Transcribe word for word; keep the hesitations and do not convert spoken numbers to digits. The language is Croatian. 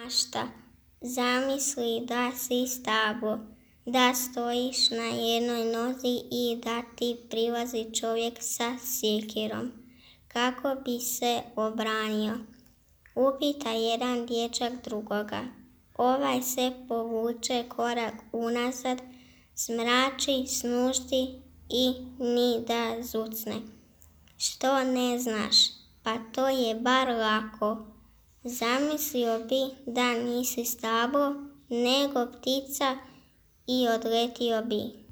mašta. Zamisli da si stablo, da stojiš na jednoj nozi i da ti prilazi čovjek sa sjekirom. Kako bi se obranio? Upita jedan dječak drugoga. Ovaj se povuče korak unazad, smrači, snuždi i ni da zucne. Što ne znaš? Pa to je bar lako. Zamislio bi da nisi stablo, nego ptica i odletio bi.